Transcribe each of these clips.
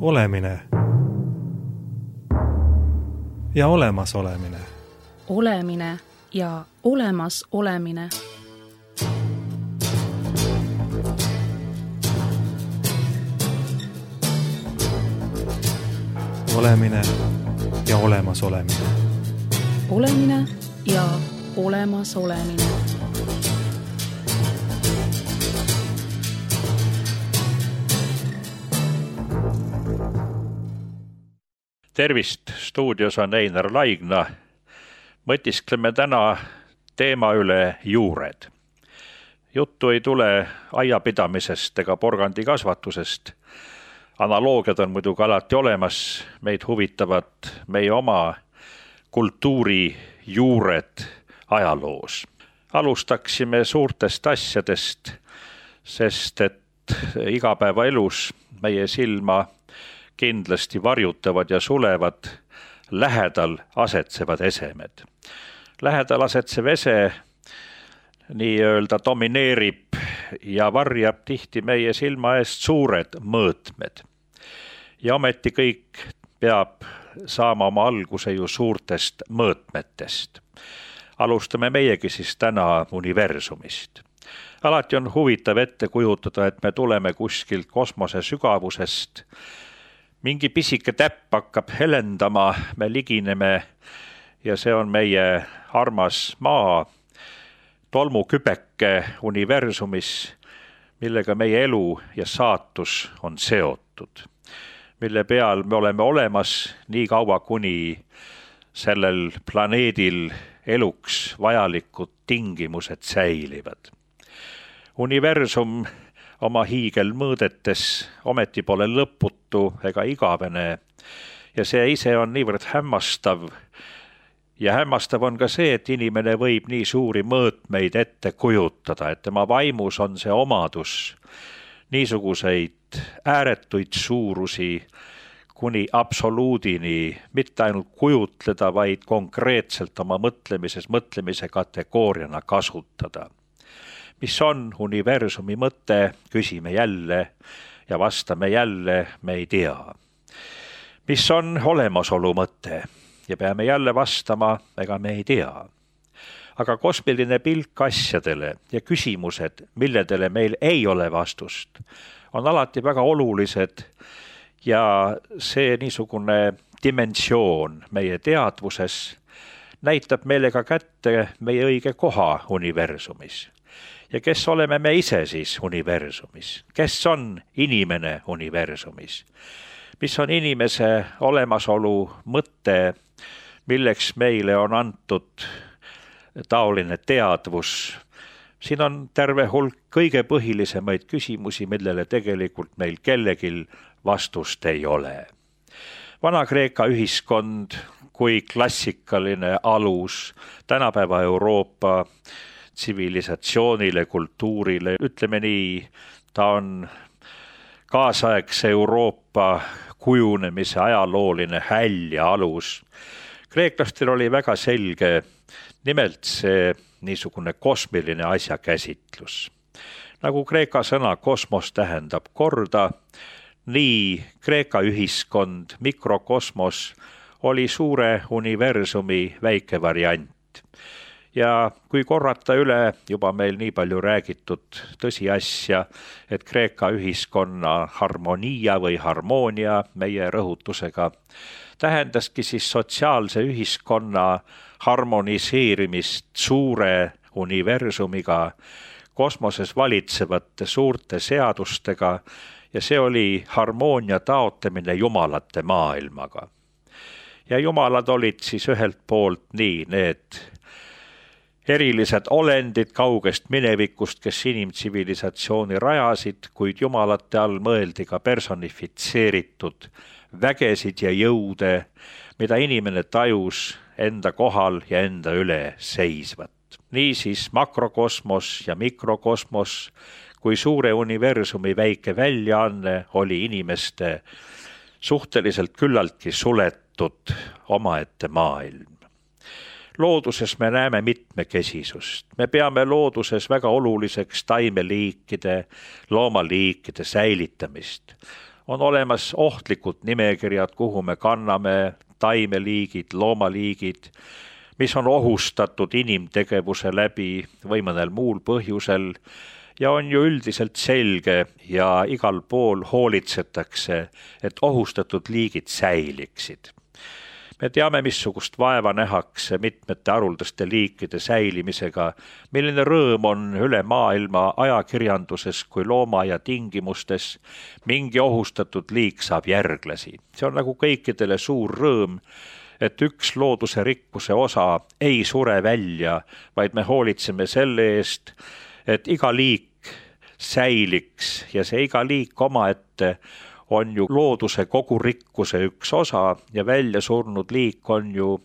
Olemine ja olemas olemine. Olemine ja olemas olemine. Olemine ja olemas olemine. Olemine ja olemas olemine. Tervist, stuudios on Einar Laigna. Mõtiskleme täna teema üle juured. Juttu ei tule aiapidamisest ega porgandikasvatusest. Analoogiad on muidugi alati olemas. Meid huvitavad meie oma kultuuri juured ajaloos. Alustaksime suurtest asjadest, sest et igapäevaelus meie silma kindlasti varjutavad ja sulevad lähedal asetsevad esemed. Lähedal asetsev ese nii-öelda domineerib ja varjab tihti meie silma eest suured mõõtmed. Ja ometi kõik peab saama oma alguse ju suurtest mõõtmetest. Alustame meiegi siis täna universumist. Alati on huvitav ette kujutada, et me tuleme kuskilt kosmose sügavusest. Mingi pisike täpp hakkab helendama, me ligineme ja see on meie armas maa, tolmukübeke universumis, millega meie elu ja saatus on seotud, mille peal me oleme olemas nii kaua, kuni sellel planeedil eluks vajalikud tingimused säilivad. Universum oma hiigelmõõdetes ometi pole lõputu ega igavene ja see ise on niivõrd hämmastav. Ja hämmastav on ka see, et inimene võib nii suuri mõõtmeid ette kujutada, et tema vaimus on see omadus niisuguseid ääretuid suurusi kuni absoluudini mitte ainult kujutleda, vaid konkreetselt oma mõtlemise kategooriana kasutada. Mis on universumi mõte, küsime jälle ja vastame jälle, me ei tea. Mis on olemasolu mõte ja peame jälle vastama, ega me ei tea. Aga kosmiline pilk asjadele ja küsimused, milledele meil ei ole vastust, on alati väga olulised ja see niisugune dimensioon meie teadvuses näitab meile ka kätte meie õige koha universumis. Ja kes oleme me ise siis universumis? Kes on inimene universumis? Mis on inimese olemasolu mõte, milleks meile on antud taoline teadvus? Siin on terve hulk kõige põhilisemaid küsimusi, millele tegelikult meil kellegil vastust ei ole. Vana-Kreeka ühiskond kui klassikaline alus tänapäeva Euroopa tsivilisatsioonile, kultuurile, ütleme nii, ta on kaasaegse Euroopa kujunemise ajalooline häll ja alus. Kreeklastel oli väga selge nimelt see niisugune kosmiline asjakäsitlus. Nagu Kreeka sõna kosmos tähendab korda, nii Kreeka ühiskond, mikrokosmos oli suure universumi väike variant. Ja kui korrata üle juba meil nii palju räägitud tõsiasja, et Kreeka ühiskonna harmonia või harmoonia meie rõhutusega tähendaski siis sotsiaalse ühiskonna harmoniseerimist suure universumiga, kosmoses valitsevate suurte seadustega ja see oli harmoonia taotlemine jumalate maailmaga. Ja jumalad olid siis ühelt poolt nii need erilised olendid kaugest minevikust, kes inimtsivilisatsiooni rajasid, kuid jumalate all mõeldi ka personifitseeritud vägesid ja jõude, mida inimene tajus enda kohal ja enda üle seisvat. Niisiis makrokosmos ja mikrokosmos kui suure universumi väike väljaanne oli inimeste suhteliselt küllaltki suletud omaette maailm. Looduses me näeme mitmekesisust. Me peame looduses väga oluliseks taimeliikide, loomaliikide säilitamist. On olemas ohtlikud nimekirjad, kuhu me kanname taimeliigid, loomaliigid, mis on ohustatud inimtegevuse läbi või mõnel muul põhjusel ja on ju üldiselt selge ja igal pool hoolitsetakse, et ohustatud liigid säiliksid. Me teame, missugust vaeva nähakse mitmete haruldaste liikide säilimisega, milline rõõm on üle maailma ajakirjanduses kui loomaaia tingimustes mingi ohustatud liik saab järglasi. See on nagu kõikidele suur rõõm, et üks looduse rikkuse osa ei sure välja, vaid me hoolitseme selle eest, et iga liik säiliks ja see iga liik omaette on ju looduse kogu rikkuse üks osa ja välja surnud liik on ju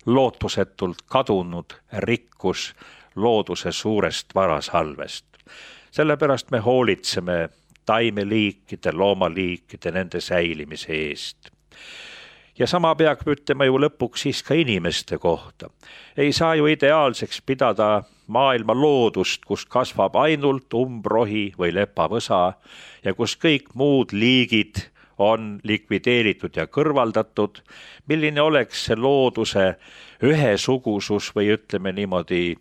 lootusetult kadunud rikkus looduse suurest varasalvest. Sellepärast me hoolitseme taimeliikide, loomaliikide, nende säilimise eest. Ja sama peab ütlema ju lõpuks siis ka inimeste kohta. Ei saa ju ideaalseks pidada maailma loodust, kus kasvab ainult umbrohi või lepavõsa ja kus kõik muud liigid on likvideeritud ja kõrvaldatud. Milline oleks see looduse ühesugusus või ütleme niimoodi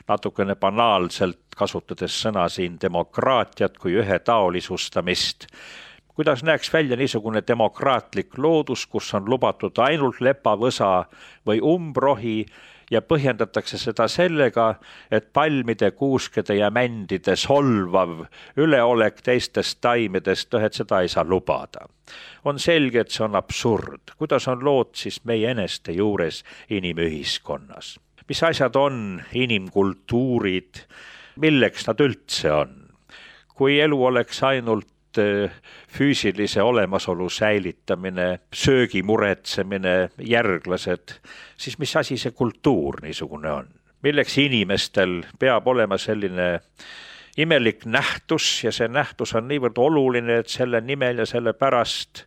natukene banaalselt kasutades sõna siin demokraatiat kui ühetaolisustamist. Kuidas näeks välja niisugune demokraatlik loodus, kus on lubatud ainult lepavõsa või umbrohi ja põhjendatakse seda sellega, et palmide, kuuskede ja mändide solvav üleolek teistest taimedest, et seda ei saa lubada. On selge, et see on absurd. Kuidas on lood siis meie eneste juures inimühiskonnas? Mis asjad on inimkultuurid? Milleks nad üldse on? Kui elu oleks ainult füüsilise olemasolu säilitamine, söögi muretsemine, järglased, siis mis asi see kultuur niisugune on? Milleks inimestel peab olema selline imelik nähtus ja see nähtus on niivõrd oluline, et selle nimel ja selle pärast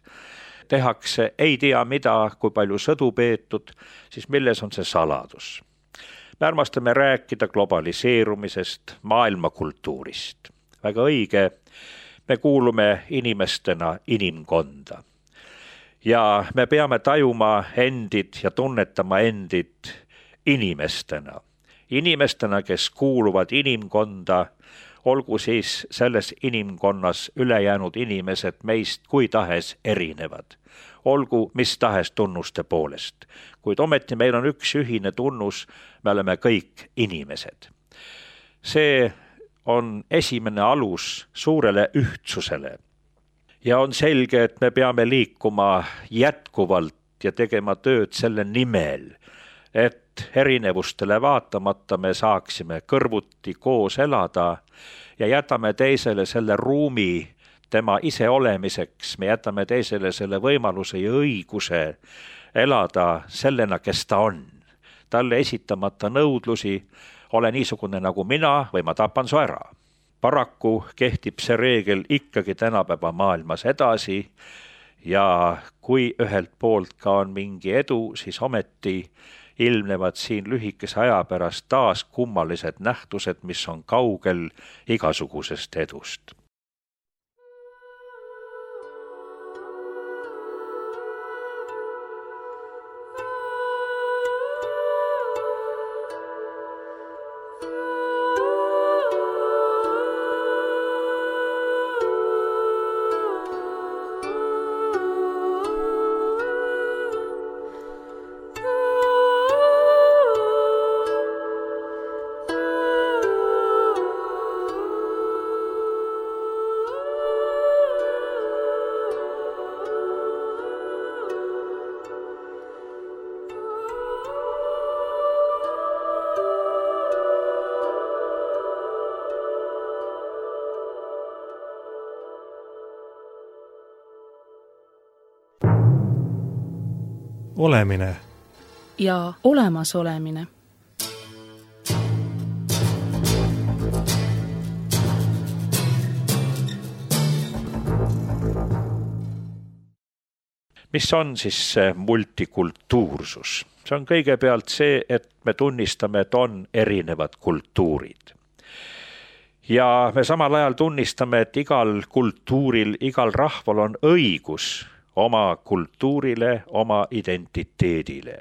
tehakse ei tea mida, kui palju sõdu peetud, siis milles on see saladus? Me armastame rääkida globaliseerumisest, maailmakultuurist. Väga õige. Me kuulume inimestena inimkonda ja me peame tajuma endid ja tunnetama endid inimestena. Inimestena, kes kuuluvad inimkonda, olgu siis selles inimkonnas ülejäänud inimesed meist kui tahes erinevad. Olgu mis tahes tunnuste poolest, kuid ometi meil on üks ühine tunnus, me oleme kõik inimesed. See on esimene alus suurele ühtsusele. Ja on selge, et me peame liikuma jätkuvalt ja tegema tööd selle nimel, et erinevustele vaatamata me saaksime kõrvuti koos elada ja jätame teisele selle ruumi tema iseolemiseks, me jätame teisele selle võimaluse ja õiguse elada sellena, kes ta on. Talle esitamata nõudlusi, ole niisugune nagu mina või ma tapan su ära. Paraku kehtib see reegel ikkagi tänapäeva maailmas edasi ja kui ühelt poolt ka on mingi edu, siis ometi ilmnevad siin lühikese aja pärast taas kummalised nähtused, mis on kaugel igasugusest edust. Olemine ja olemasolemine. Mis on siis see multikultuursus? See on kõigepealt see, et me tunnistame, et on erinevad kultuurid. Ja me samal ajal tunnistame, et igal kultuuril, igal rahval on õigus oma kultuurile, oma identiteedile.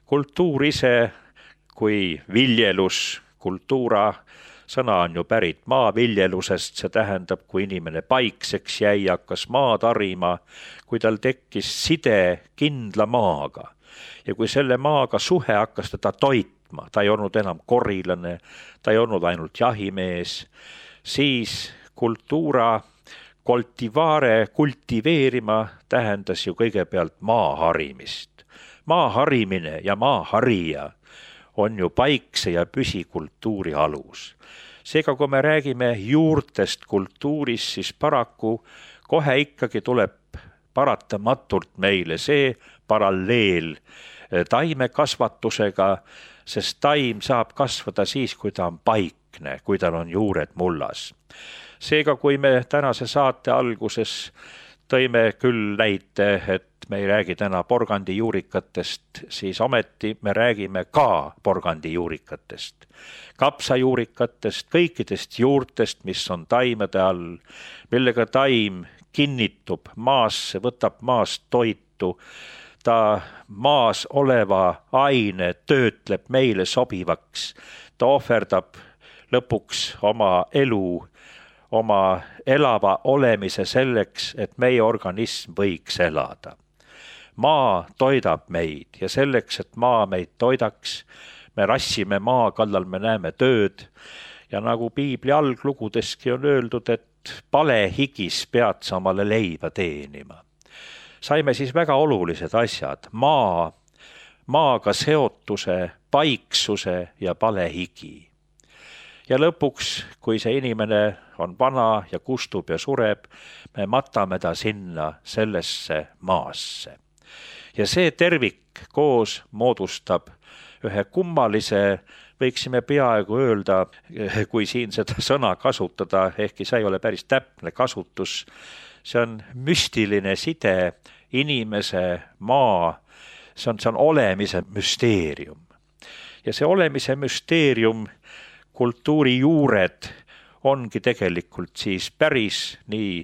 Kultuur ise kui viljelus, kultuura sõna on ju pärit maaviljelusest, see tähendab, kui inimene paikseks jäi, hakkas maad harima, kui tal tekkis side kindla maaga ja kui selle maaga suhe hakkas teda toitma, ta ei olnud enam korilane, ta ei olnud ainult jahimees, siis kultuura kultiveerima tähendas ju kõigepealt maa harimist. Maa harimine ja maa harija on ju paikse ja püsikultuuri alus. Seega, kui me räägime juurtest kultuurist, siis paraku kohe ikkagi tuleb paratamatult meile see paralleel taimekasvatusega, sest taim saab kasvada siis, kui ta on paikne, kui tal on juured mullas. Seega, kui me tänase saate alguses tõime küll näite, et me ei räägi täna porgandijuurikatest, siis ometi me räägime ka porgandijuurikatest, kapsajuurikatest, kõikidest juurtest, mis on taimede all, millega taim kinnitub maasse, võtab maast toitu, ta maas oleva aine töötleb meile sobivaks, ta ohverdab lõpuks oma elu, oma elava olemise selleks, et meie organism võiks elada. Maa toidab meid ja selleks, et maa meid toidaks, me rassime maa kallal, me näeme tööd ja nagu piibli alglugudeski on öeldud, et palehigis pead sa omale leiva teenima. Saime siis väga olulised asjad, maaga seotuse, paiksuse ja palehigi. Ja lõpuks, kui see inimene on vana ja kustub ja sureb, me matame ta sinna sellesse maasse. Ja see tervik koos moodustab ühe kummalise, võiksime peaaegu öelda, kui siin seda sõna kasutada, ehkki see ei ole päris täpne kasutus, see on müstiline side inimese, maa, see on olemise müsteerium. Ja see olemise müsteerium, kultuuri juured ongi tegelikult siis päris nii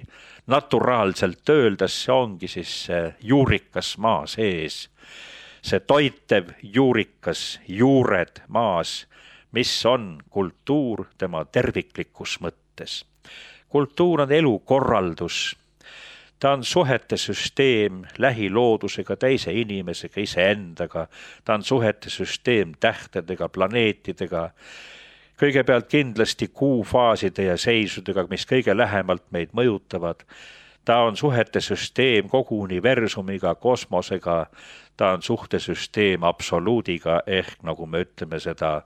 naturaalselt öeldes, see ongi siis juurikas maa sees. See toitev juurikas, juured maas, mis on kultuur tema terviklikus mõttes. Kultuur on elukorraldus, ta on suhete süsteem lähiloodusega, teise inimesega, iseendaga, ta on suhete süsteem tähtedega, planeetidega, kõigepealt kindlasti kuufaaside ja seisudega, mis kõige lähemalt meid mõjutavad. Ta on suhete süsteem kogu universumiga, kosmosega, ta on suhtesüsteem absoluudiga ehk nagu me ütleme seda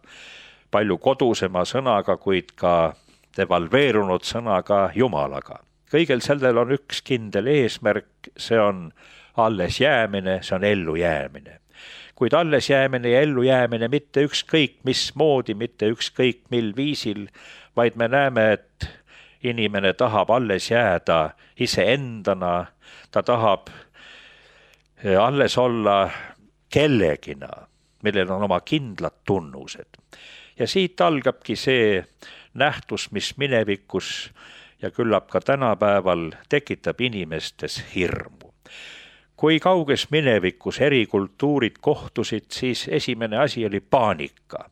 palju kodusema sõnaga, kuid ka devalveerunud sõnaga Jumalaga. Kõigel sellel on üks kindel eesmärk, see on alles jäämine, see on ellu jäämine. Kuid alles jäämine ja ellu jäämine mitte ükskõik mismoodi, mitte ükskõik mil viisil, vaid me näeme, et inimene tahab alles jääda iseendana, ta tahab alles olla kellegina, millel on oma kindlad tunnused. Ja siit algabki see nähtus, mis minevikus ja küllap ka tänapäeval tekitab inimestes hirmu. Kui kauges minevikus eri kultuurid kohtusid, siis esimene asi oli paanika.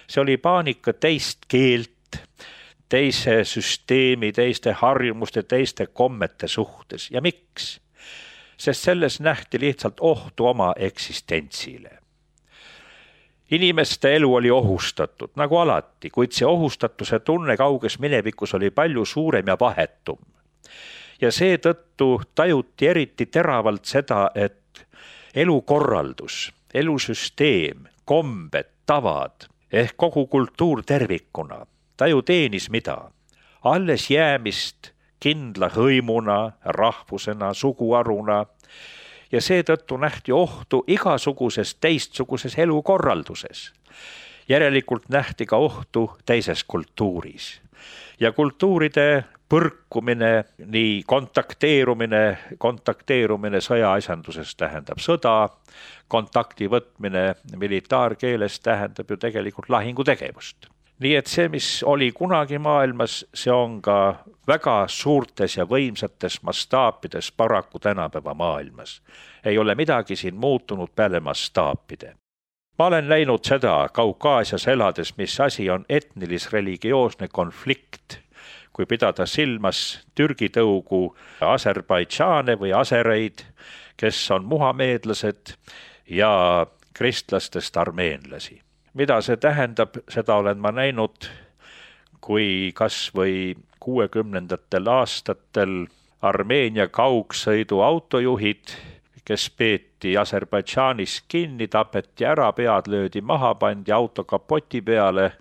See oli paanika teist keelt, teise süsteemi, teiste harjumuste, teiste kommete suhtes. Ja miks? Sest selles nähti lihtsalt ohtu oma eksistentsile. Inimeste elu oli ohustatud, nagu alati, kuid see ohustatuse tunne kauges minevikus oli palju suurem ja vahetum. Ja seetõttu tajuti eriti teravalt seda, et elukorraldus, elusüsteem, kombed, tavad ehk kogu kultuur tervikuna, ta ju teenis mida? Alles jäämist kindla hõimuna, rahvusena, suguaruna ja seetõttu nähti ohtu igasuguses teistsuguses elukorralduses. Järelikult nähti ka ohtu teises kultuuris. Ja kultuuride põrkumine, nii kontakteerumine sõjaasjanduses tähendab sõda, kontakti võtmine militaarkeeles tähendab ju tegelikult lahingutegevust. nii et see, mis oli kunagi maailmas, see on ka väga suurtes ja võimsates mastaapides paraku tänapäeva maailmas. Ei ole midagi siin muutunud peale mastaapide. Ma olen näinud seda Kaukaasias elades, mis asi on etnilis-religioosne konflikt, kui pidada silmas Türgi tõugu Aserbaidžaane või asereid, kes on muhameedlased ja kristlastest armeenlasi. Mida see tähendab, seda olen ma näinud, kui kas või 60. aastatel Armeenia kaugsõidu autojuhid, kes peeti Aserbaidžaanis kinni, tapeti ära, pead löödi maha, pandi auto kapoti peale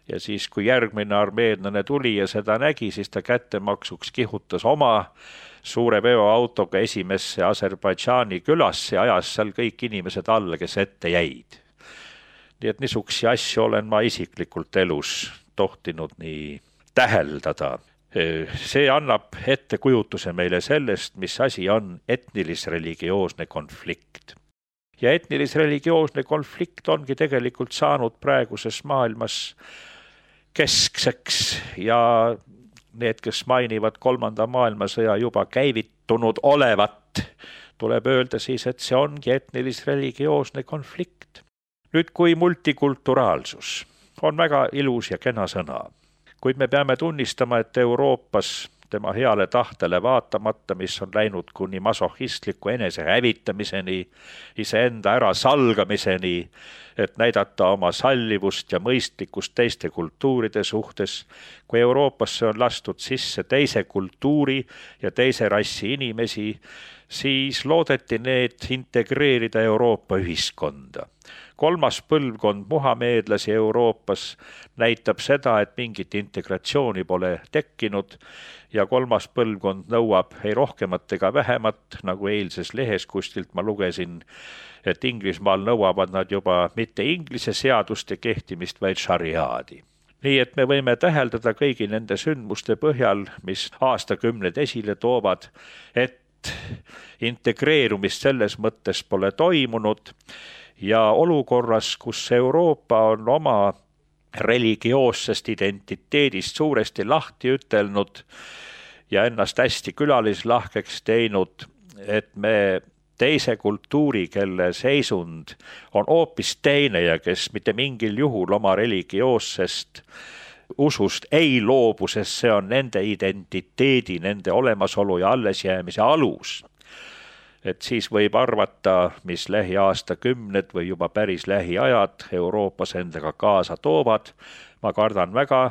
ja siis, kui järgmine armeenlane tuli ja seda nägi, siis ta kättemaksuks kihutas oma suure veoautoga esimesse Aserbaidžaani külasse ja ajas seal kõik inimesed alla, kes ette jäid. Nii et niisugusi asju olen ma isiklikult elus tohtinud nii täheldada. See annab ettekujutuse meile sellest, mis asi on etnilis-religioosne konflikt. Ja etnilis-religioosne konflikt ongi tegelikult saanud praeguses maailmas keskseks ja need, kes mainivad 3. maailmasõja juba käivitunud olevat, tuleb öelda siis, et see ongi etnilis-religioosne konflikt. Nüüd, kui multikulturaalsus on väga ilus ja kena sõna, kuid me peame tunnistama, et Euroopas tema heale tahtele vaatamata, mis on läinud kuni masohhistliku enese hävitamiseni, iseenda ära salgamiseni, et näidata oma sallivust ja mõistlikkust teiste kultuuride suhtes, kui Euroopasse on lastud sisse teise kultuuri ja teise rassi inimesi, siis loodeti need integreerida Euroopa ühiskonda. 3. põlvkond muhameedlasi Euroopas näitab seda, et mingit integratsiooni pole tekkinud ja 3. põlvkond nõuab ei rohkemat ega vähemat, nagu eilses lehes kuskilt ma lugesin, et Inglismaal nõuavad nad juba mitte inglise seaduste kehtimist, vaid šariaadi. Nii et me võime täheldada kõigi nende sündmuste põhjal, mis aastakümned esile toovad, et integreerumist selles mõttes pole toimunud ja olukorras, kus Euroopa on oma religioossest identiteedist suuresti lahti ütelnud ja ennast hästi külalislahkeks teinud, et me teise kultuuri, kelle seisund on hoopis teine ja kes mitte mingil juhul oma religioossest usust ei loobu, sest see on nende identiteedi, nende olemasolu ja allesjäämise alus. Et siis võib arvata, mis lähiaastakümned või juba päris lähiajad Euroopas endaga kaasa toovad. Ma kardan väga,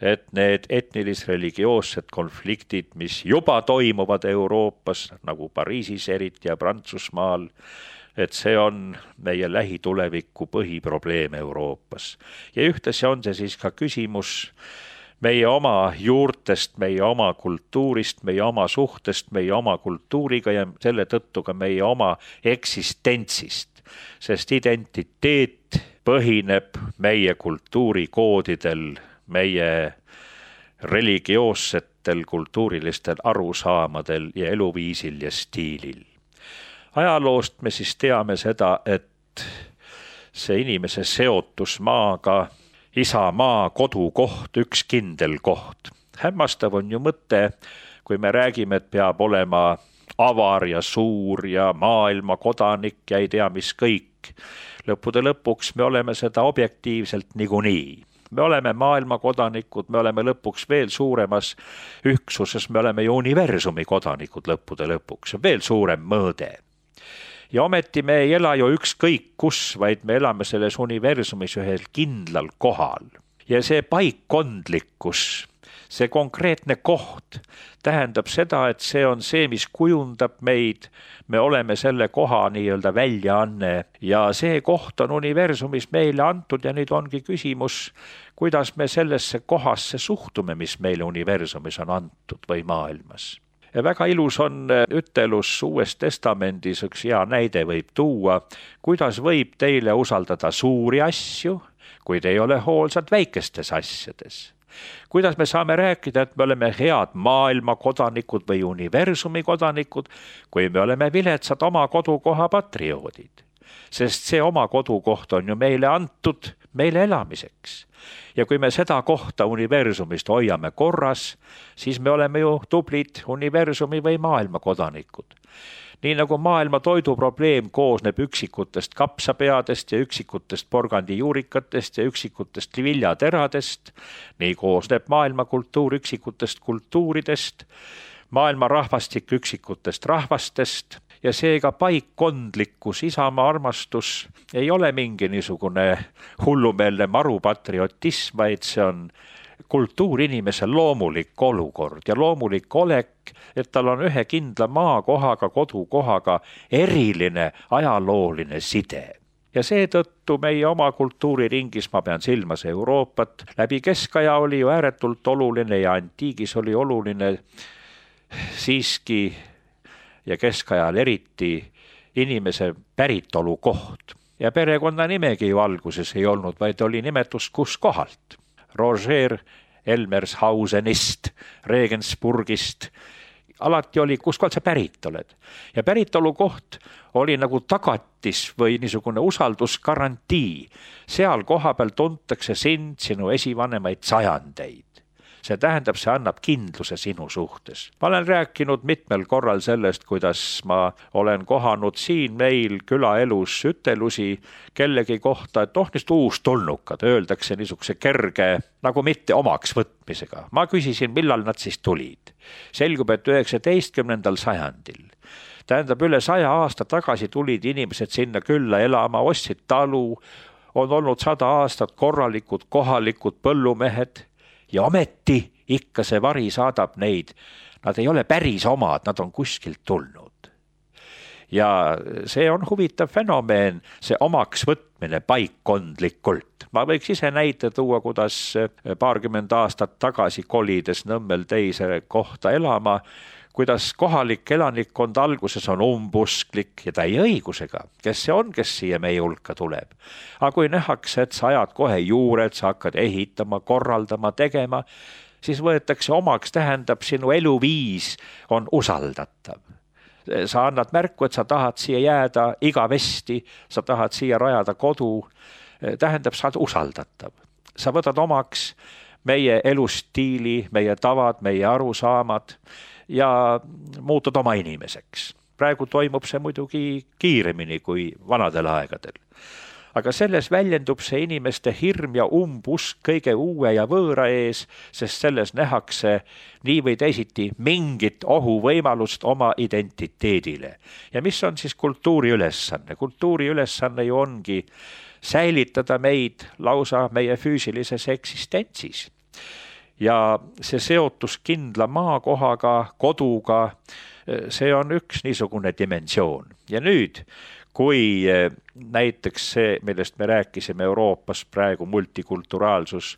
et need etnilis-religioossed konfliktid, mis juba toimuvad Euroopas, nagu Pariisis eriti ja Prantsusmaal, et see on meie lähituleviku põhiprobleem Euroopas. Ja ühtlasi on see siis ka küsimus meie oma juurtest, meie oma kultuurist, meie oma suhtest, meie oma kultuuriga ja selle tõttu ka meie oma eksistentsist, sest identiteet põhineb meie kultuurikoodidel, meie religioossetel kultuurilistel arusaamadel ja eluviisil ja stiilil. Ajaloost me siis teame seda, et see inimese seotus maaga, isamaa, kodukoht, üks kindel koht. Hämmastav on ju mõte, kui me räägime, et peab olema avar ja suur ja maailma kodanik ja ei tea mis kõik. Lõppude lõpuks me oleme seda objektiivselt niikuinii. Me oleme maailma kodanikud, me oleme lõpuks veel suuremas üksuses, me oleme ju universumi kodanikud lõppude lõpuks, veel suurem mõõde. Ja ometi me ei ela ju ükskõik kus, vaid me elame selles universumis ühel kindlal kohal. Ja see paikkondlikkus, see konkreetne koht tähendab seda, et see on see, mis kujundab meid, me oleme selle koha nii-öelda väljaanne ja see koht on universumis meile antud ja nüüd ongi küsimus, kuidas me sellesse kohasse suhtume, mis meile universumis on antud või maailmas. Ja väga ilus on ütelus Uues Testamendis, üks hea näide võib tuua, kuidas võib teile usaldada suuri asju, kuid ei ole hoolsad väikestes asjades. Kuidas me saame rääkida, et me oleme head maailma kodanikud või universumi kodanikud, kui me oleme viletsad oma kodukoha patrioodid. sest see oma kodukoht on ju meile antud, meile elamiseks. Ja kui me seda kohta universumist hoiame korras, siis me oleme ju tublid universumi või maailma kodanikud. Nii nagu maailma toiduprobleem koosneb üksikutest kapsapeadest ja üksikutest porgandijuurikatest ja üksikutest viljateradest, nii koosneb maailma kultuur üksikutest kultuuridest, maailma rahvastik üksikutest rahvastest ja seega paikkondlikkus, isamaa armastus ei ole mingi niisugune hullumeelne marupatriotism, vaid see on kultuur inimese loomulik olukord ja loomulik olek, et tal on ühe kindla maakohaga, kodukohaga eriline ajalooline side. Ja seetõttu meie oma kultuuriringis, ma pean silmas Euroopat, läbi keskaja oli ju ääretult oluline ja antiigis oli oluline siiski ja keskajal eriti inimese päritolu koht. Ja perekonna nimegi ju alguses ei olnud, vaid oli nimetus kus kohalt. Roger Elmershausenist, Regensburgist, alati oli, kus kohalt sa pärit oled. Ja päritolu koht oli nagu tagatis või niisugune usaldusgarantii. Seal kohapeal tuntakse sind, sinu esivanemaid sajandeid. See tähendab, see annab kindluse sinu suhtes. Ma olen rääkinud mitmel korral sellest, kuidas ma olen kohanud siin meil külaelus ütelusi kellegi kohta, et niisugused uustulnukad, öeldakse niisuguse kerge, nagu mitte omaks võtmisega. Ma küsisin, millal nad siis tulid. Selgub, et 19. sajandil. Tähendab, üle 100 aasta tagasi tulid inimesed sinna külla elama, ostsid talu, on olnud 100 aastat korralikud kohalikud põllumehed, ja ometi ikka see vari saadab neid. Nad ei ole päris omad, nad on kuskilt tulnud. Ja see on huvitav fenomeen, see omaks võtmine paikkondlikult. Ma võiks ise näite tuua, kuidas paarkümmend aastat tagasi kolides Nõmmel teise kohta elama, kuidas kohalik elanikkond alguses on umbusklik ja täie õigusega, kes see on, kes siia meie hulka tuleb. Aga kui nähakse, et sa ajad kohe juured, sa hakkad ehitama, korraldama, tegema, siis võetakse omaks, tähendab, sinu eluviis on usaldatav. Sa annad märku, et sa tahad siia jääda igavesti, sa tahad siia rajada kodu, tähendab, sa oled usaldatav. Sa võtad omaks meie elustiili, meie tavad, meie arusaamad, ja muutud oma inimeseks. Praegu toimub see muidugi kiiremini kui vanadel aegadel. Aga selles väljendub see inimeste hirm ja umbusk kõige uue ja võõra ees, sest selles nähakse nii või teisiti mingit ohuvõimalust oma identiteedile. Ja mis on siis kultuuri ülesanne? Kultuuri ülesanne ju ongi säilitada meid lausa meie füüsilises eksistentsis. Ja see seotus kindla maakohaga, koduga, see on üks niisugune dimensioon. Ja nüüd, kui näiteks see, millest me rääkisime Euroopas praegu multikulturaalsus,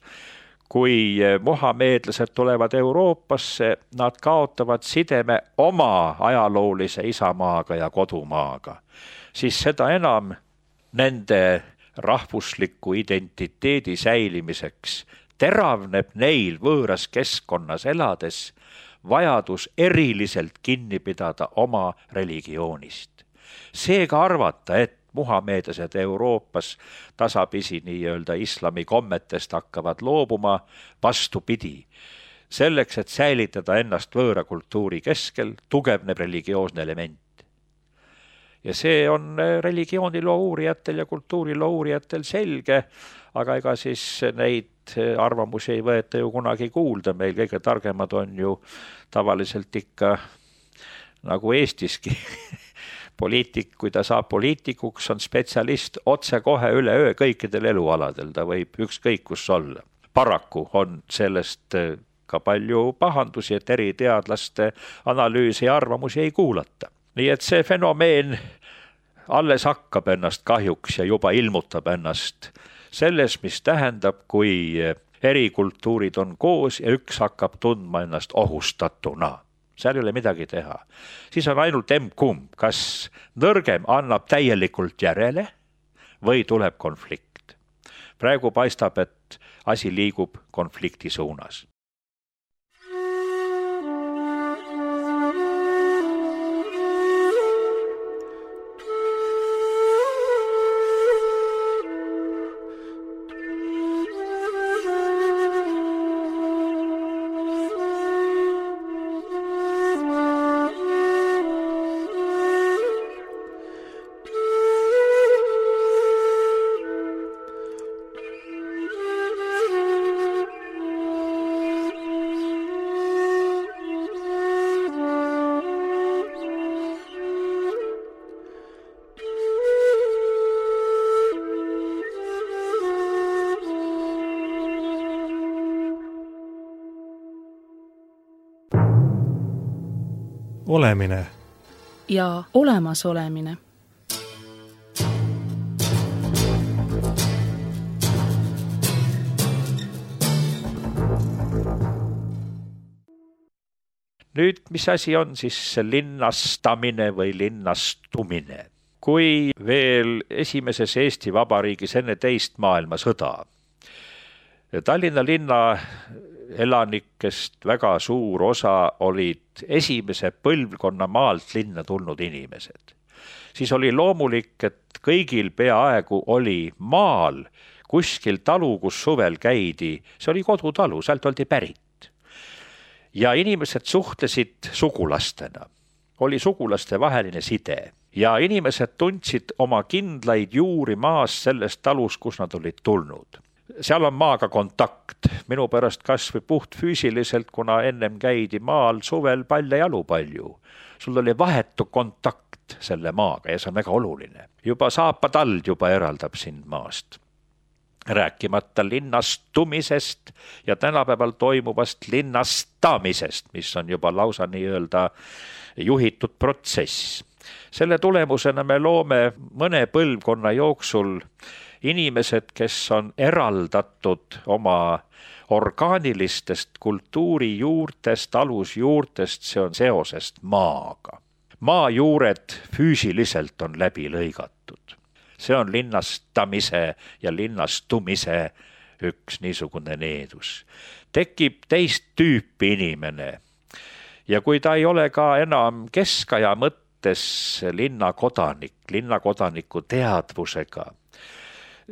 kui mohameedlased tulevad Euroopasse, nad kaotavad sideme oma ajaloolise isamaaga ja kodumaaga, siis seda enam nende rahvusliku identiteedi säilimiseks teravneb neil võõras keskkonnas elades vajadus eriliselt kinni pidada oma religioonist. Seega arvata, et muhameedlased Euroopas tasapisi nii-öelda islami kommetest hakkavad loobuma, vastupidi. Selleks, et säilitada ennast võõra kultuuri keskel, tugevneb religioosne element. Ja see on religiooniloo uurijatel ja kultuuriloo uurijatel selge, aga ega siis neid arvamusi ei võeta ju kunagi kuulda. Meil kõige targemad on ju tavaliselt ikka nagu Eestiski. Poliitik, kui ta saab poliitikuks, on spetsialist otse kohe üle öö kõikidel elualadel. Ta võib ükskõik kus olla. Paraku on sellest ka palju pahandusi, et eri teadlaste analüüsi ja arvamusi ei kuulata. Nii et see fenomeen alles hakkab ennast kahjuks ja juba ilmutab ennast selles, mis tähendab, kui eri kultuurid on koos ja üks hakkab tundma ennast ohustatuna. Seal ei ole midagi teha. Siis on ainult emb-kumb, kas nõrgem annab täielikult järele või tuleb konflikt. Praegu paistab, et asi liigub konflikti suunas. olemine ja olemasolemine. Nüüd, mis asi on siis linnastamine või linnastumine? Kui veel esimeses Eesti Vabariigis enne teist maailmasõda Tallinna linna elanikest väga suur osa olid esimese põlvkonna maalt linna tulnud inimesed, siis oli loomulik, et kõigil peaaegu oli maal kuskil talu, kus suvel käidi, see oli kodutalu, sealt oldi pärit. Ja inimesed suhtlesid sugulastena, oli sugulaste vaheline side ja inimesed tundsid oma kindlaid juuri maas sellest talus, kus nad olid tulnud. Seal on maaga kontakt, minu pärast kasvõi puht füüsiliselt, kuna ennem käidi maal suvel paljajalu palju. Sul oli vahetu kontakt selle maaga ja see on väga oluline. Juba saapatald juba eraldab sind maast. Rääkimata linnastumisest ja tänapäeval toimuvast linnastamisest, mis on juba lausa nii-öelda juhitud protsess. Selle tulemusena me loome mõne põlvkonna jooksul inimesed, kes on eraldatud oma orgaanilistest kultuurijuurtest, alusjuurtest, see on seosest maaga. Maa juured füüsiliselt on läbi lõigatud. See on linnastamise ja linnastumise üks niisugune needus. Tekib teist tüüpi inimene ja kui ta ei ole ka enam keskaja mõttes linnakodaniku teadvusega,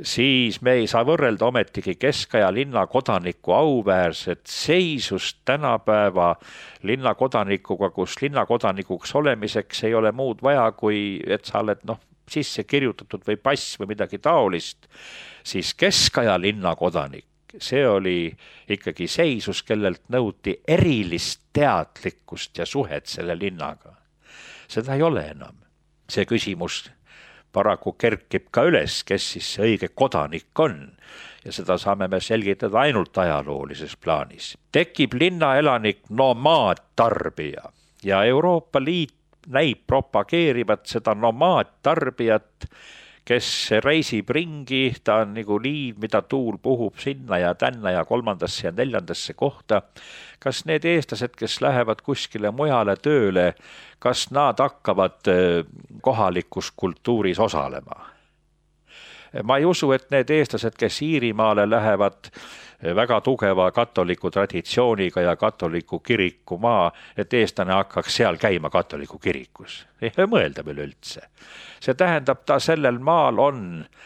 siis me ei saa võrrelda ometigi keskaja linnakodaniku auväärset seisust tänapäeva linnakodanikuga, kus linnakodanikuks olemiseks ei ole muud vaja, kui et sa oled sisse kirjutatud või pass või midagi taolist, siis keskaja linnakodanik, see oli ikkagi seisus, kellelt nõuti erilist teadlikkust ja suhet selle linnaga. Seda ei ole enam. See küsimus paraku kerkib ka üles, kes siis see õige kodanik on ja seda saame me selgitada ainult ajaloolises plaanis. Tekib linnaelanik nomaadtarbija ja Euroopa Liit näib propageerivad seda nomaadtarbijat, kes reisib ringi, ta on nagu liiv, mida tuul puhub sinna ja tänna ja kolmandasse ja neljandasse kohta. Kas need eestlased, kes lähevad kuskile mujale tööle, kas nad hakkavad kohalikus kultuuris osalema? Ma ei usu, et need eestlased, kes Iirimaale lähevad väga tugeva katoliku traditsiooniga ja katoliku kiriku maa, et eestlane hakkaks seal käima katoliku kirikus. Ei mõelda veel üldse. See tähendab, ta sellel maal on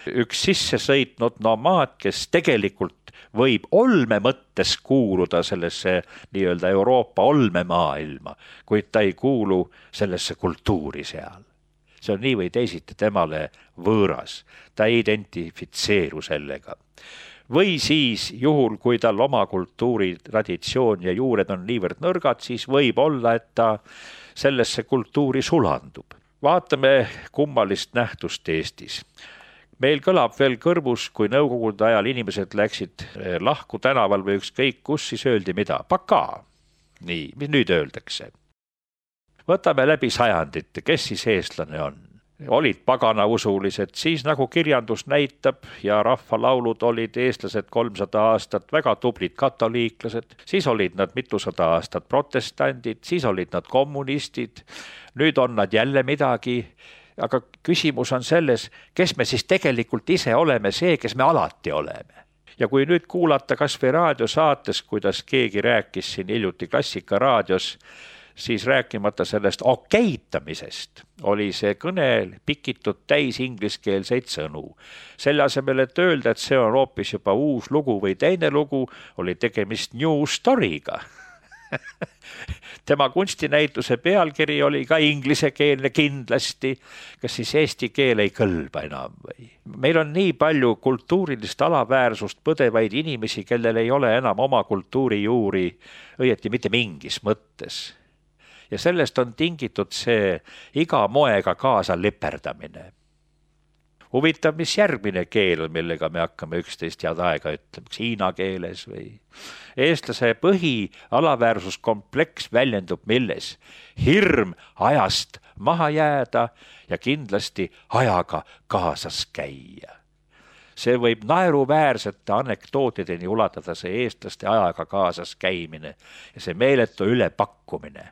üks sisse sõitnud nomaad, kes tegelikult võib olme mõttes kuuluda sellesse nii-öelda Euroopa olmemaailma, kuid ta ei kuulu sellesse kultuuri seal. See on nii või teisiti temale võõras, ta ei identifitseeru sellega. Või siis juhul, kui tal oma kultuuri traditsioon ja juured on niivõrd nõrgad, siis võib olla, et ta sellesse kultuuri sulandub. Vaatame kummalist nähtust Eestis. Meil kõlab veel kõrvus, kui nõukogude ajal inimesed läksid lahku tänaval või ükskõik kus, siis öeldi mida? Paka. Nii, mis nüüd öeldakse? Võtame läbi sajandite, kes siis eestlane on? Olid paganausulised, siis nagu kirjandus näitab ja rahvalaulud olid eestlased 300 aastat väga tublid katoliiklased, siis olid nad mitusada aastat protestandid, siis olid nad kommunistid, nüüd on nad jälle midagi, aga küsimus on selles, kes me siis tegelikult ise oleme see, kes me alati oleme. Ja kui nüüd kuulata kas või raadiosaates, kuidas keegi rääkis siin hiljuti Klassikaraadios, siis rääkimata sellest okeitamisest oli see kõne pikitud täis ingliskeelseid sõnu. Selle asemel, et öelda, et see on hoopis juba uus lugu või teine lugu, oli tegemist new story'ga. Tema kunstinäituse pealkiri oli ka inglisekeelne kindlasti, kas siis eesti keel ei kõlba enam või? Meil on nii palju kultuurilist alaväärsust põdevaid inimesi, kellel ei ole enam oma kultuuri juuri, õieti mitte mingis mõttes. Ja sellest on tingitud see iga moega kaasa liperdamine. huvitav, mis järgmine keel on, millega me hakkame üksteist head aega ütlema, kas hiina keeles või. Eestlase alaväärsuskompleks väljendub milles? Hirm ajast maha jääda ja kindlasti ajaga kaasas käia. See võib naeruväärsete anekdootideni ulatada, see eestlaste ajaga kaasas käimine ja see meeletu ülepakkumine.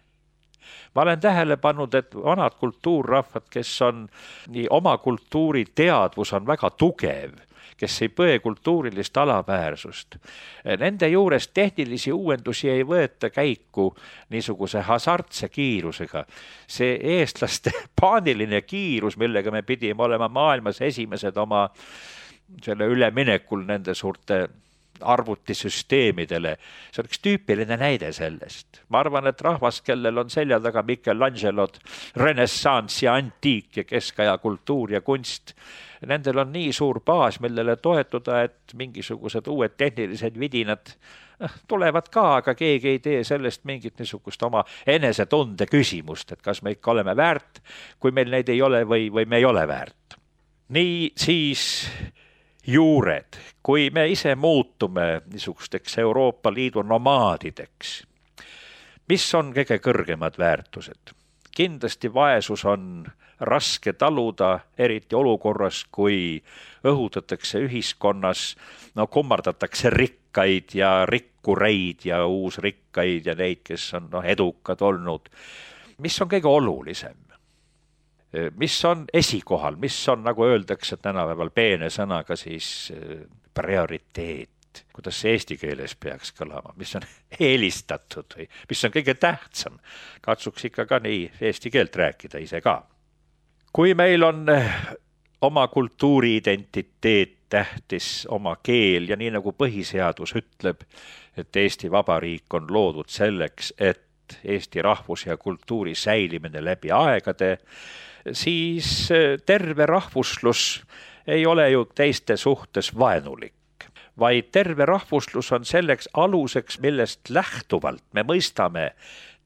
Ma olen tähele pannud, et vanad kultuurrahvad, kes on nii oma kultuuri teadvus on väga tugev, kes ei põe kultuurilist alaväärsust. Nende juures tehnilisi uuendusi ei võeta käiku niisuguse hasartse kiirusega. See eestlaste paaniline kiirus, millega me pidime olema maailmas esimesed oma selle üleminekul nende suurte arvutisüsteemidele. See on üks tüüpiline näide sellest. Ma arvan, et rahvas, kellel on selja taga Michelangelod, renessants ja antiik ja keskaja kultuur ja kunst, nendel on nii suur baas, millele toetuda, et mingisugused uued tehnilised vidinad tulevad ka, aga keegi ei tee sellest mingit niisugust oma enesetunde küsimust, et kas me ikka oleme väärt, kui meil neid ei ole või me ei ole väärt. Nii siis juured, kui me ise muutume niisugusteks Euroopa Liidu nomaadideks, mis on kõige kõrgemad väärtused? Kindlasti vaesus on raske taluda, eriti olukorras, kui õhutatakse ühiskonnas, kummardatakse rikkaid ja rikkureid ja uusrikkaid ja neid, kes on edukad olnud. Mis on kõige olulisem? Mis on esikohal, mis on, nagu öeldakse tänapäeval peene sõnaga, siis prioriteet, kuidas see eesti keeles peaks kõlama, mis on eelistatud või mis on kõige tähtsam. Katsuks ikka ka nii eesti keelt rääkida ise ka. Kui meil on oma kultuuriidentiteet tähtis, oma keel ja nii nagu põhiseadus ütleb, et Eesti Vabariik on loodud selleks, et Eesti rahvus ja kultuuri säilimine läbi aegade, siis terve rahvuslus ei ole ju teiste suhtes vaenulik, vaid terve rahvuslus on selleks aluseks, millest lähtuvalt me mõistame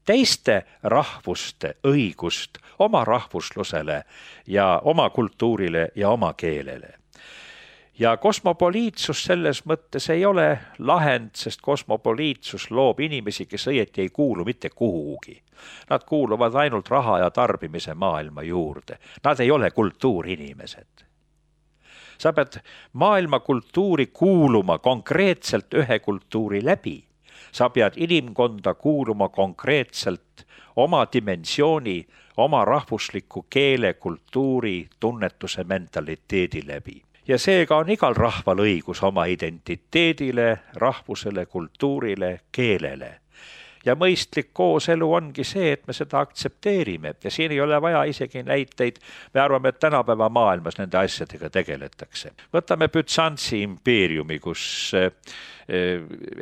teiste rahvuste õigust oma rahvuslusele ja oma kultuurile ja oma keelele. Ja kosmopoliitsus selles mõttes ei ole lahend, sest kosmopoliitsus loob inimesi, kes õieti ei kuulu mitte kuhugi. Nad kuuluvad ainult raha ja tarbimise maailma juurde. Nad ei ole kultuurinimesed. Sa pead maailma kultuuri kuuluma konkreetselt ühe kultuuri läbi. Sa pead inimkonda kuuluma konkreetselt oma dimensiooni, oma rahvusliku keele, kultuuri, tunnetuse, mentaliteedi läbi. Ja seega on igal rahval õigus oma identiteedile, rahvusele, kultuurile, keelele. Ja mõistlik kooselu ongi see, et me seda aktsepteerime ja siin ei ole vaja isegi näiteid. Me arvame, et tänapäeva maailmas nende asjadega tegeletakse. Võtame Bütsantsi impeeriumi, kus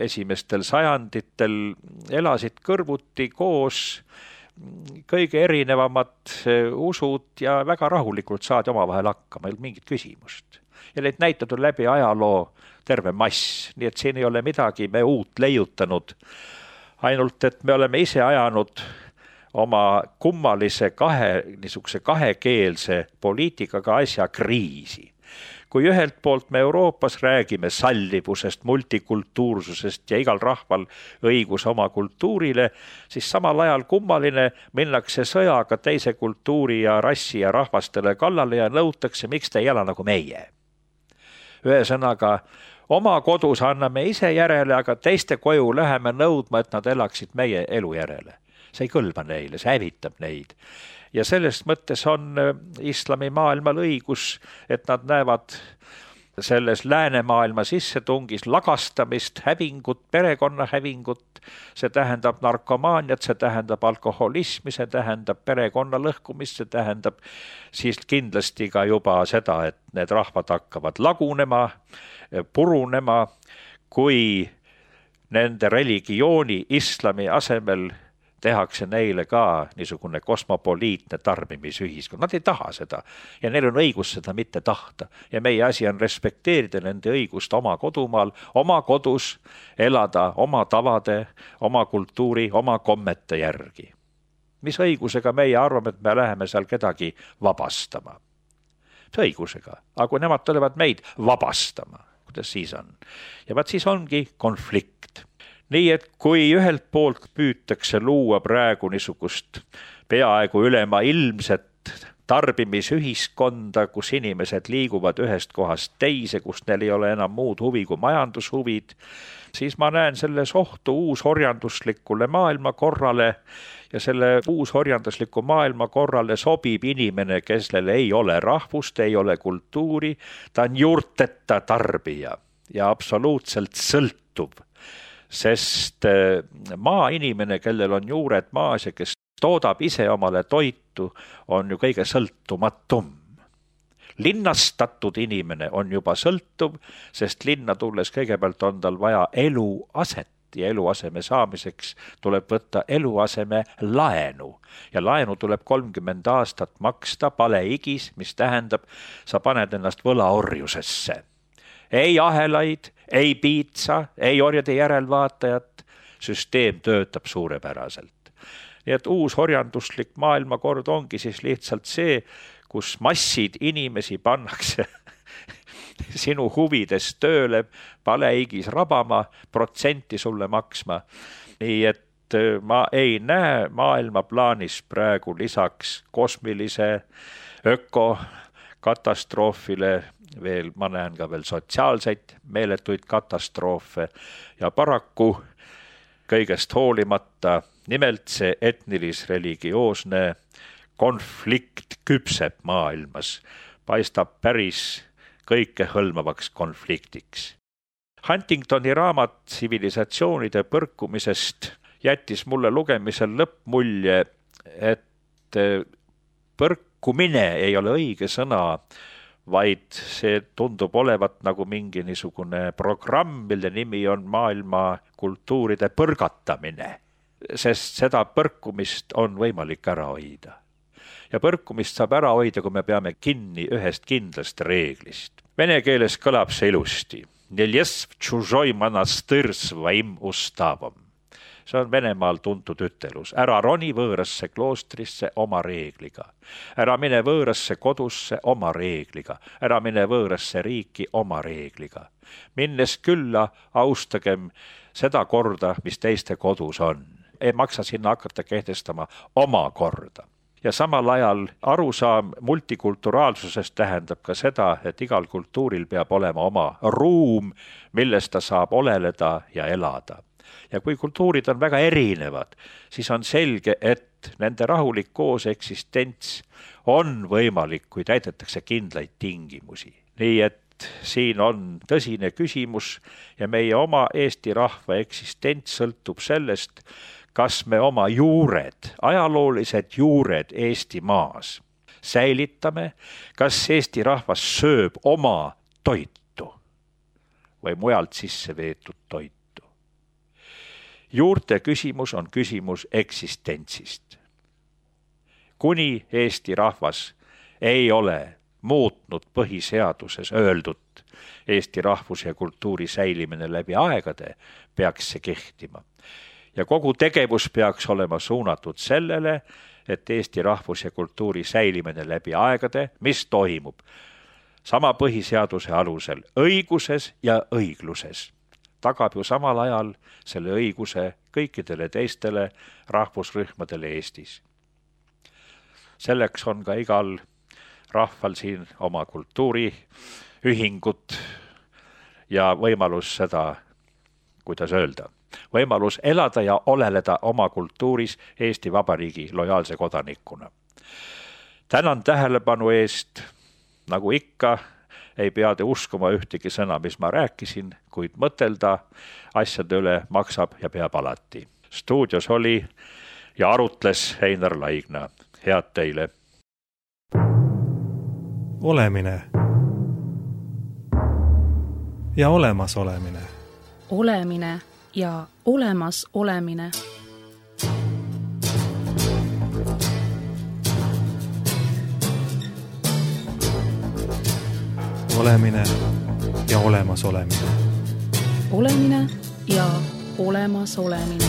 esimestel sajanditel elasid kõrvuti koos kõige erinevamad usud ja väga rahulikult saadi omavahel hakkama, ei olnud mingit küsimust. Ja neid näited on läbi ajaloo terve mass, nii et siin ei ole midagi me uut leiutanud, ainult et me oleme ise ajanud oma kummalise kahekeelse poliitikaga asja kriisi. Kui ühelt poolt me Euroopas räägime sallivusest, multikultuursusest ja igal rahval õigus oma kultuurile, siis samal ajal kummaline minnakse sõjaga teise kultuuri ja rassi ja rahvastele kallale ja nõutakse, miks te ei ela nagu meie. Ühesõnaga, oma kodus anname ise järele, aga teiste koju läheme nõudma, et nad elaksid meie elu järele. See ei kõlba neile, see hävitab neid. Ja sellest mõttes on islami maailmal õigus, et nad näevad selles läänemaailma sissetungis lagastamist, hävingut, perekonna hävingut, see tähendab narkomaaniat, see tähendab alkoholismi, see tähendab perekonna lõhkumist, see tähendab siis kindlasti ka juba seda, et need rahvad hakkavad lagunema, purunema, kui nende religiooni islami asemel tehakse neile ka niisugune kosmopoliitne tarbimisühiskond. Nad ei taha seda ja neil on õigus seda mitte tahta. Ja meie asi on respekteerida nende õigust oma kodumaal, oma kodus elada oma tavade, oma kultuuri, oma kommete järgi. Mis õigusega meie arvame, et me läheme seal kedagi vabastama? õigusega, aga kui nemad tulevad meid vabastama, kuidas siis on? Ja vaat siis ongi konflikt. Nii et kui ühelt poolt püütakse luua praegu niisugust peaaegu ülemaailmset tarbimisühiskonda, kus inimesed liiguvad ühest kohast teise, kus neil ei ole enam muud huvi kui majandushuvid, siis ma näen selles ohtu uusorjanduslikule maailmakorrale ja selle uusorjandusliku maailmakorrale sobib inimene, kellel ei ole rahvust, ei ole kultuuri, ta on juurteta tarbija ja absoluutselt sõltuv, sest maainimene, kellel on juured maas ja kes toodab ise omale toitu, on ju kõige sõltumatum. Linnastatud inimene on juba sõltuv, sest linna tulles kõigepealt on tal vaja eluaset ja eluaseme saamiseks tuleb võtta eluaseme laenu. Ja laenu tuleb 30 aastat maksta paleigis, mis tähendab, sa paned ennast võlaorjusesse. Ei ahelaid, ei piitsa, ei orjade järelvaatajat, süsteem töötab suurepäraselt. Nii et uus orjanduslik maailmakord ongi siis lihtsalt see, kus massid inimesi pannakse sinu huvides tööle, paleigis rabama, protsenti sulle maksma. Nii et ma ei näe maailma plaanis praegu lisaks kosmilise ökokatastroofile veel, ma näen ka veel sotsiaalseid meeletuid katastroofe ja paraku kõigest hoolimata nimelt see etnilis-religioosne konflikt küpseb maailmas, paistab päris kõikehõlmavaks konfliktiks. Huntingtoni raamat tsivilisatsioonide põrkumisest jättis mulle lugemisel lõppmulje, et põrkumine ei ole õige sõna, vaid see tundub olevat nagu mingi niisugune programm, mille nimi on maailma kultuuride põrgatamine, sest seda põrkumist on võimalik ära hoida. Ja põrkumist saab ära hoida, kui me peame kinni ühest kindlast reeglist. Vene keeles kõlab see ilusti. Neljesv tšužoi manastõr svaim ustavam. See on Venemaal tuntud ütelus. Ära roni võõrasse kloostrisse oma reegliga. Ära mine võõrasse kodusse oma reegliga. Ära mine võõrasse riiki oma reegliga. Minnes külla austagem seda korda, mis teiste kodus on. Ei maksa sinna hakata kehtestama oma korda. Ja samal ajal arusaam multikulturaalsusest tähendab ka seda, et igal kultuuril peab olema oma ruum, milles ta saab oleleda ja elada. Ja kui kultuurid on väga erinevad, siis on selge, et nende rahulik koos eksistents on võimalik, kui täidetakse kindlaid tingimusi. Nii et siin on tõsine küsimus ja meie oma Eesti rahva eksistents sõltub sellest, kas me oma juured, ajaloolised juured Eesti maas säilitame, kas Eesti rahvas sööb oma toitu või mujalt sisse veetud toitu. Juurte küsimus on küsimus eksistentsist. Kuni Eesti rahvas ei ole muutnud põhiseaduses öeldut Eesti rahvuse ja kultuuri säilimine läbi aegade, peaks see kehtima. Ja kogu tegevus peaks olema suunatud sellele, et Eesti rahvus ja kultuuri säilimine läbi aegade, mis toimub sama põhiseaduse alusel õiguses ja õigluses, tagab ju samal ajal selle õiguse kõikidele teistele rahvusrühmadele Eestis. Selleks on ka igal rahval siin oma kultuuriühingut ja võimalus seda, kuidas öelda, võimalus elada ja oleleda oma kultuuris Eesti Vabariigi lojaalse kodanikuna. Tänan tähelepanu eest, nagu ikka, ei pea te uskuma ühtegi sõna, mis ma rääkisin, kuid mõtelda asjade üle maksab ja peab alati. Stuudios oli ja arutles Einar Laigna. Head teile! Olemine ja olemas olemine. Olemine ja olemas olemine. Olemine ja olemas olemine. Olemine ja olemas olemine.